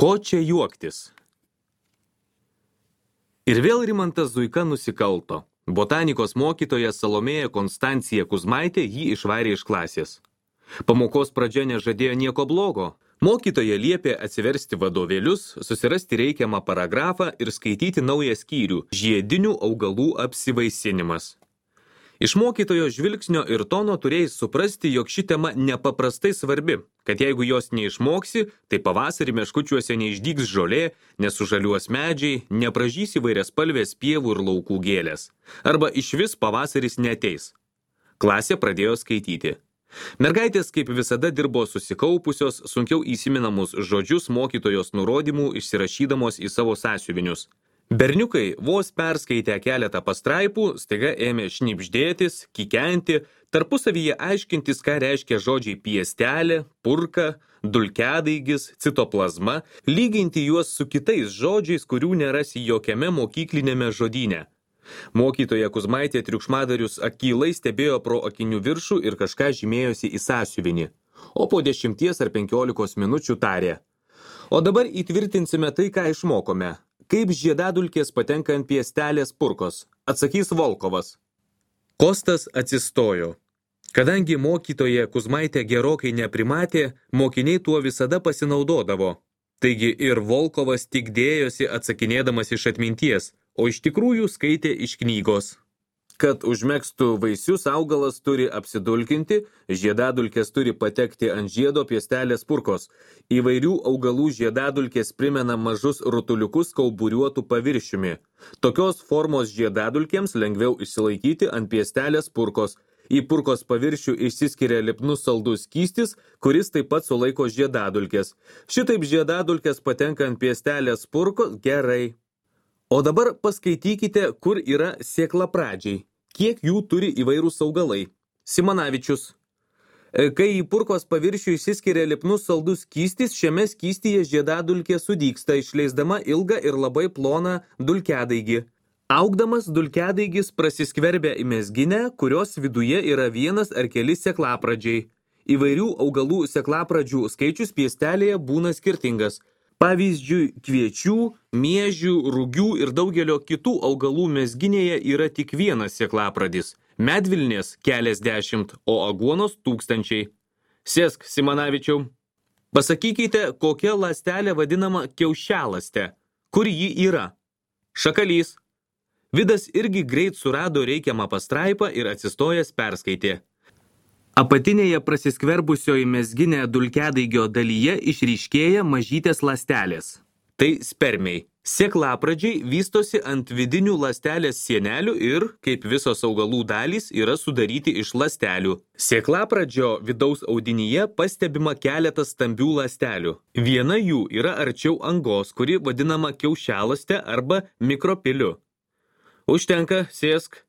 Ko čia juoktis? Ir vėl Rimantas Zuika nusikalto. Botanikos mokytoja Salomėja Konstancija Kuzmaitė jį išvarė iš klasės. Pamokos pradžia nežadėjo nieko blogo. Mokytoja liepė atsiversti vadovėlius, susirasti reikiamą paragrafą ir skaityti naują skyrių – žiedinių augalų apsivaisinimas. Iš mokytojo žvilgsnio ir tono turėjai suprasti, jog ši tema nepaprastai svarbi, kad jeigu jos neišmoksi, tai pavasarį meškučiuose neišdygs žolė, nesužaliuos medžiai, nepražys įvairiaspalvės pievų ir laukų gėlės. Arba išvis pavasaris neateis. Klasė pradėjo skaityti. Mergaitės kaip visada dirbo susikaupusios, sunkiau įsiminamus žodžius mokytojos nurodymų išsirašydamos į savo sąsiuvinius. Berniukai vos perskaitę keletą pastraipų, staiga ėmė šnibždėtis, kikenti, tarpusavyje aiškintis, ką reiškia žodžiai piestelė, purka, dulkiadaigis, citoplazma, lyginti juos su kitais žodžiais, kurių nerasi jokiame mokyklinėme žodyne. Mokytoja Kuzmaitė triukšmadarius akylai stebėjo pro akinių viršų ir kažką žymėjosi į sąsiuvinį, o po 10 ar 15 minučių tarė. O dabar įtvirtinsime tai, ką išmokome. Kaip žiedadulkės patenka ant piestelės purkos, atsakys Volkovas. Kostas atsistojo. Kadangi mokytoja Kuzmaitė gerokai neprimatė, mokiniai tuo visada pasinaudodavo. Taigi ir Volkovas tik dėjosi atsakinėdamas iš atminties, o iš tikrųjų skaitė iš knygos. Kad užmegstų vaisius, augalas turi apsidulkinti, žiedadulkės turi patekti ant žiedo piestelės purkos. Įvairių augalų žiedadulkės primena mažus rutuliukus kauburiuotų paviršiumi. Tokios formos žiedadulkėms lengviau išsilaikyti ant piestelės purkos. Į purkos paviršių išsiskiria lipnus saldus skystis, kuris taip pat sulaiko žiedadulkės. Šitaip žiedadulkės patenka ant piestelės purkos gerai. O dabar paskaitykite, kur yra sėklapradžiai. Kiek jų turi įvairūs augalai. Simanavičius. Kai į purkos paviršių išsiskiria lipnus saldus skystis, šiame skystyje žiedadulkė sudygsta, išleisdama ilgą ir labai ploną dulkiadaigį. Augdamas dulkiadaigis prasiskverbia į mezginę, kurios viduje yra vienas ar keli sėklapradžiai. Įvairių augalų sėklapradžių skaičius piestelėje būna skirtingas. Pavyzdžiui, kviečių, miežių, rugių ir daugelio kitų augalų mezginėje yra tik vienas sėklapradis. Medvilnės keliasdešimt, o aguonos tūkstančiai. Sėsk, Simanavičiau. Pasakykite, kokia ląstelė vadinama kiaušialąste. Kur ji yra? Šakalys. Vidas irgi greit surado reikiamą pastraipą ir atsistojęs perskaitė. Apatinėje prasiskverbusioje mezginė dulkiadaigio dalyje išryškėja mažytės ląstelės. Tai spermiai. Sėklapradžiai vystosi ant vidinių ląstelės sienelių ir, kaip visos augalų dalys, yra sudaryti iš ląstelių. Sėklapradžio vidaus audinyje pastebima keletas stambių ląstelių. Viena jų yra arčiau angos, kuri vadinama kiaušialąste arba mikropiliu. Užtenka, sėsk.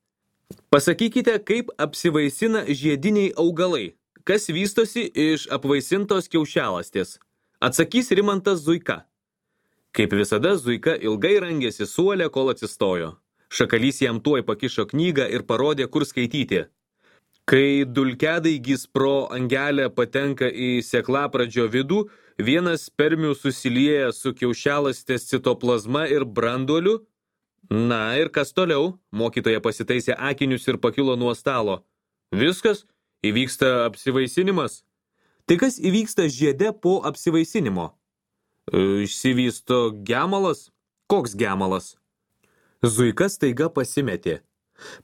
Pasakykite, kaip apsivaisina žiediniai augalai. Kas vystosi iš apvaisintos kiaušialąstės? Atsakys Rimantas Zuika. Kaip visada, Zuika ilgai rangėsi suole, kol atsistojo. Šakalys jam tuoj pakišo knygą ir parodė, kur skaityti. Kai dulkiadaigis pro angelę patenka į sėklapradžio vidų, vienas spermių susilieja su kiaušialąstės citoplazma ir branduoliu. Na ir kas toliau? Mokytoja pasitaisė akinius ir pakilo nuo stalo. Viskas? Įvyksta apsivaisinimas? Tai kas įvyksta žiede po apsivaisinimo? Išsivysto gemalas? Koks gemalas? Zuika staiga pasimetė.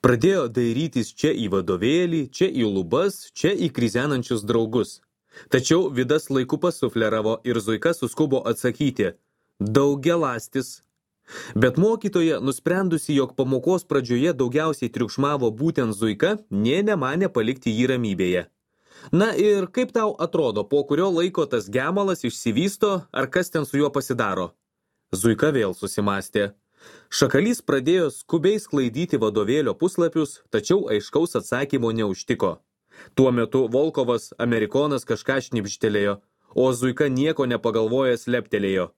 Pradėjo dairytis čia į vadovėlį, čia į lubas, čia į krizenančius draugus. Tačiau Vidas laiku pasufleravo ir Zuika suskubo atsakyti. Daugialąstis. Bet mokytoja, nusprendusi, jog pamokos pradžioje daugiausiai triukšmavo būtent Zuika, nė nemanė palikti jį ramybėje. Na ir kaip tau atrodo, po kurio laiko tas gemalas išsivysto, ar kas ten su juo pasidaro? Zuika vėl susimastė. Šakalys pradėjo skubiai sklaidyti vadovėlio puslapius, tačiau aiškaus atsakymo neužtiko. Tuo metu Volkovas, amerikonas, kažką šnibžtelėjo, o Zuika nieko nepagalvojęs leptelėjo.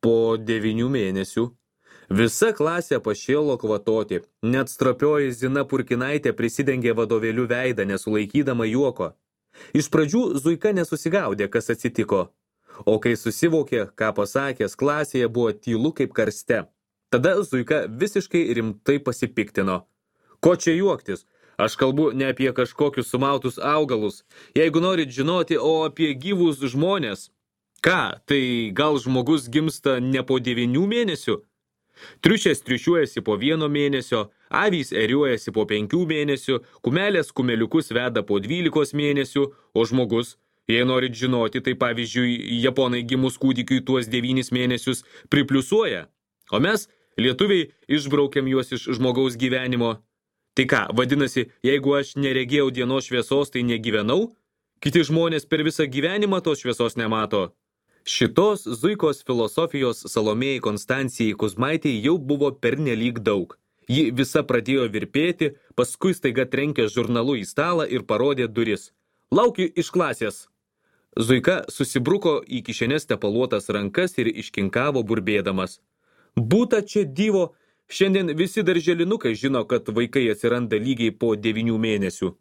Po 9 mėnesių. Visa klasė pašėlo kvatoti, net stropioji Zina Purkinaitė prisidengė vadovėlių veidą, nesulaikydama juoko. Iš pradžių Zuika nesusigaudė, kas atsitiko. O kai susivokė, ką pasakęs, klasėje buvo tylu kaip karste. Tada Zuika visiškai rimtai pasipiktino. Ko čia juoktis? Aš kalbu ne apie kažkokius sumautus augalus. Jeigu norit žinoti, o apie gyvus žmonės. Ką, tai gal žmogus gimsta ne po 9 mėnesių? Triušės triušiuojasi po 1 mėnesio, avys eriuojasi po 5 mėnesių, kumelės kumeliukus veda po 12 mėnesių, o žmogus, jei norit žinoti, tai pavyzdžiui, japonai gimus kūdikiui tuos 9 mėnesius pripliusuoja. O mes, lietuviai, išbraukiam juos iš žmogaus gyvenimo. Tai ką, vadinasi, jeigu aš neregėjau dienos šviesos, tai negyvenau? Kiti žmonės per visą gyvenimą tos šviesos nemato. Šitos Zuikos filosofijos Salomėjai Konstancijai Kuzmaitei jau buvo pernelyg daug. Ji visa pradėjo virpėti, paskui staiga trenkė žurnalu į stalą ir parodė duris. Laukiu iš klasės. Zuika susibruko į kišenės tepaluotas rankas ir iškinkavo burbėdamas. Būta čia dyvo, šiandien visi darželinukai žino, kad vaikai atsiranda lygiai po 9 mėnesių.